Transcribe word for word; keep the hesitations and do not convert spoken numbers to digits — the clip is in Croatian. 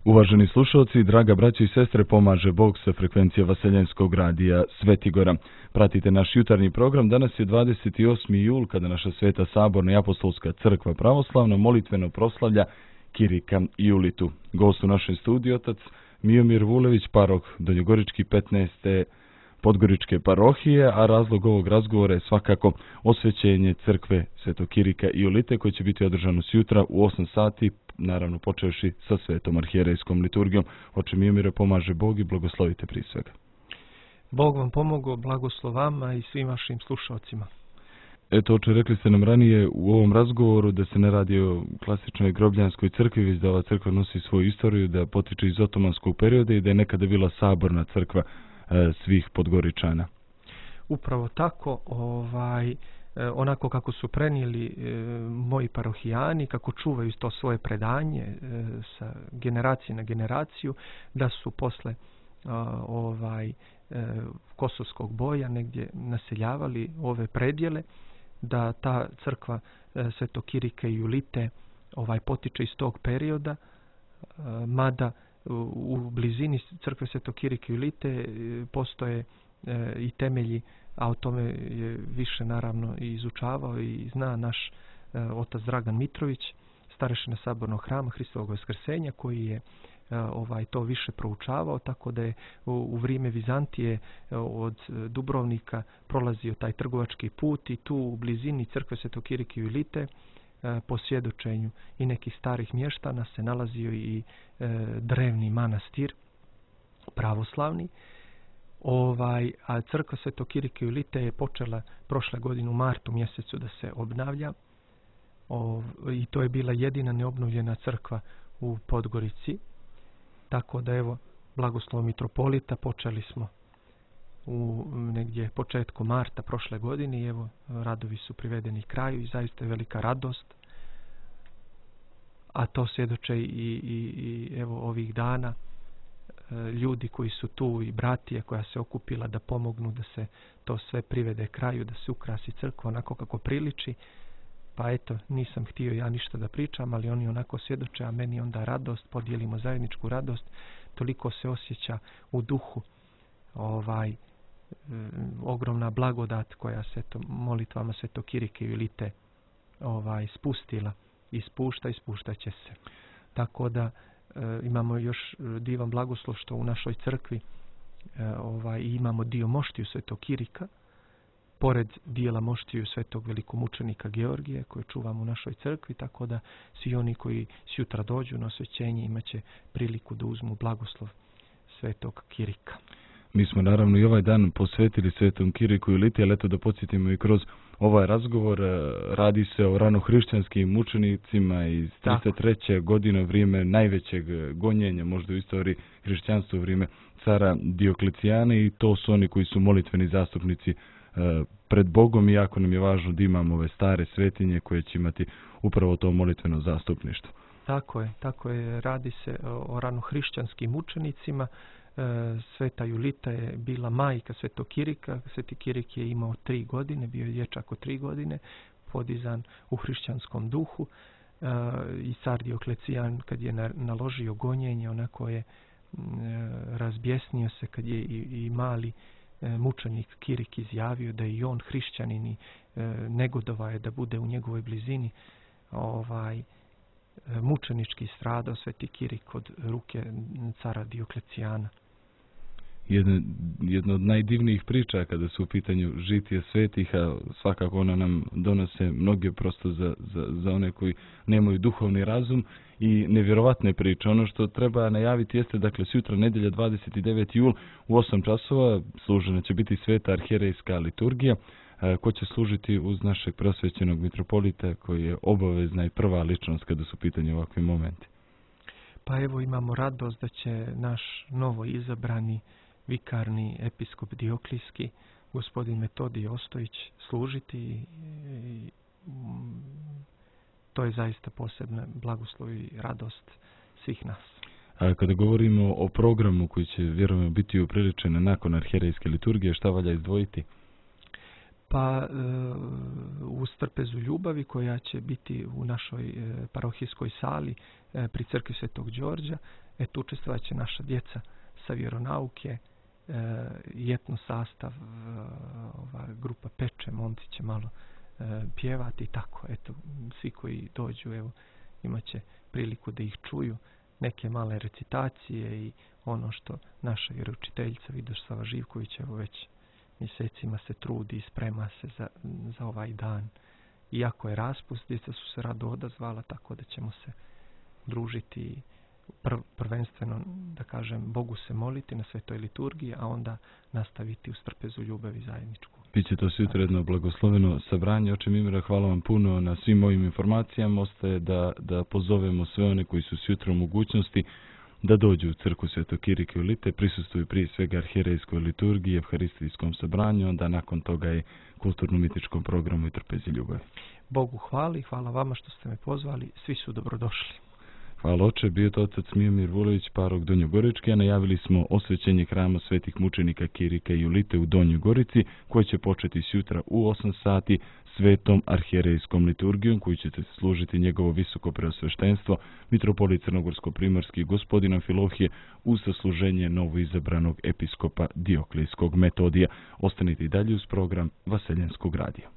Uvaženi slušalci, draga braćo i sestre, pomaže Bog sa frekvencije Vaseljenskog radija Svetigora. Pratite naš jutarnji program. Danas je dvadeset osmi jul, kada naša Sveta Saborna i Apostolska crkva pravoslavna molitveno proslavlja Kirika i Julitu. Gost u našem studiju otac Miomir Vulević, parok Donjogorički petnaeste Podgoričke parohije, a razlog ovog razgovora je svakako osvećenje crkve Svetog Kirika i Julite, koji će biti održano sutra u osam sati, naravno počevši sa svetom arhijerejskom liturgijom. Oče Miomire, pomaže Bog i blagoslovite prije svega. Bog vam pomogao, blagoslov vama i svim vašim slušalcima. Eto, oče, rekli ste nam ranije u ovom razgovoru da se ne radi o klasičnoj grobljanskoj crkvi, već da ova crkva nosi svoju istoriju, da potiče iz otomanskog perioda i da je nekada bila saborna crkva e, svih Podgoričana. Upravo tako, ovaj, onako kako su prenijeli e, moji parohijani, kako čuvaju to svoje predanje e, sa generacije na generaciju, da su posle a, ovaj, e, kosovskog boja negdje naseljavali ove predjele, da ta crkva e, Svetog Kirika i Julite ovaj, potiče iz tog perioda, a, mada u, u blizini crkve Svetog Kirika i Julite e, postoje e, i temelji, a o tome je više naravno i izučavao i zna naš e, otac Dragan Mitrović, starešina Sabornog hrama Hristovog Vaskrsenja, koji je e, ovaj to više proučavao, tako da je u, u vrijeme Vizantije e, od Dubrovnika prolazio taj trgovački put i tu u blizini crkve Svetog Kirika i Julite e, po svjedočenju i nekih starih mještana se nalazio i e, drevni manastir pravoslavni. Ovaj, a crkva Svetog Kirika i Julite je počela prošle godine u martu mjesecu da se obnavlja. O, i to je bila jedina neobnovljena crkva u Podgorici. Tako da evo, blagoslov mitropolita, počeli smo u negdje početku marta prošle godine i evo, radovi su privedeni kraju i zaista je velika radost. A to svjedoče i, i, i evo ovih dana ljudi koji su tu i bratije koja se okupila da pomognu da se to sve privede kraju, da se ukrasi crkva onako kako priliči. Pa eto, nisam htio ja ništa da pričam, ali oni onako svjedoče, a meni onda radost, podijelimo zajedničku radost, toliko se osjeća u duhu ovaj e, ogromna blagodat koja se to molitvama Svetog Kirika i Julite ovaj spustila i spušta i spuštat će se. Tako da E, imamo još divan blagoslov što u našoj crkvi e, ovaj, imamo dio moštiju Svetog Kirika, pored dijela moštiju Svetog velikomučenika Georgije koje čuvamo u našoj crkvi, tako da svi oni koji sutra dođu na osvećenje imaće priliku da uzmu blagoslov Svetog Kirika. Mi smo naravno i ovaj dan posvetili Svetom Kiriku i Juliti, ali eto da podsjetimo i kroz ovaj razgovor, radi se o ranohrišćanskim mučenicima iz trideset treće godine, vrijeme najvećeg gonjenja možda u istoriji hrišćanstva, u vrijeme cara Dioklecijana, i to su oni koji su molitveni zastupnici pred Bogom, i jako nam je važno da imamo ove stare svetinje koje će imati upravo to molitveno zastupništvo. Tako je, tako je, radi se o ranohrišćanskim mučenicima. Sveta Julita je bila majka Svetog Kirika. Sveti Kirik je imao tri godine, bio je dječak od tri godine, podizan u hrišćanskom duhu. I car Dioklecijan, kad je naložio gonjenje, onako je razbjesnio se kad je i, i mali mučenik Kirik izjavio da je i on hrišćanin i negodovao je da bude u njegovoj blizini. Ovaj, mučenički stradao Sveti Kirik od ruke cara Dioklecijana. Jedna, jedna od najdivnijih priča kada su u pitanju žitije svetih, a svakako ona nam donose mnoge prosto za, za, za one koji nemaju duhovni razum i nevjerovatne priče. Ono što treba najaviti jeste, dakle, sutra nedjelja dvadeset deveti jul u osam časova služena će biti sveta arhijerejska liturgija. Ko će služiti uz našeg preosvećenog mitropolita koji je obavezna i prva ličnost kada su u pitanju ovakvi momenti? Pa evo, imamo radost da će naš novo izabrani vikarni episkop Dioklijski, gospodin Metodij Ostojić, služiti i, i to je zaista posebna blagoslov i radost svih nas. A kada govorimo o programu koji će vjerujem biti upriličen nakon arhijerejske liturgije, šta valja izdvojiti? Pa e, uz trpezu ljubavi koja će biti u našoj e, parohijskoj sali e, pri crkvi Svetog Đorđa. Eto, učestvovat će naša djeca sa vjeronauke, e, jetno sastav, e, ova grupa peče, momci će malo e, pjevati i tako. Eto, svi koji dođu, evo, imat će priliku da ih čuju, neke male recitacije i ono što naša vjeroučiteljica Vidoslava Živković evo već mjesecima se trudi i sprema se za, za ovaj dan. Iako je raspust, djeca su se rado odazvala, tako da ćemo se družiti prv, prvenstveno, da kažem, Bogu se moliti na svetoj liturgiji, a onda nastaviti u strpezu ljubavi zajedničku. Biće to sutrajedno blagosloveno sabranje. Oče Mimira, hvala vam puno na svim ovim informacijama. Ostaje da, da pozovemo sve one koji su sutra u mogućnosti da dođu u crkvu Svetog Kirike u Lite, prisustvuju prije svega arhijerejskoj liturgiji, evharistijskom sabranju, onda nakon toga je kulturno-umjetničkom programu i trpezi ljubavi. Bogu hvali, hvala vama što ste me pozvali, svi su dobrodošli. Hvala oče, bio to otac Mijomir Vulović, parok Donjogorički, a najavili smo osvećenje hrama svetih mučenika Kirike i Julite u Donjoj Gorici, koji će početi sutra u osam sati svetom arhijerejskom liturgijom, koju će se služiti njegovo visoko preosveštenstvo, mitropolit Crnogorsko-primorski gospodin Amfilohije, uz sasluženje novoizabranog episkopa Dioklijskog Metodija. Ostanite i dalje uz program Vaseljenskog radija.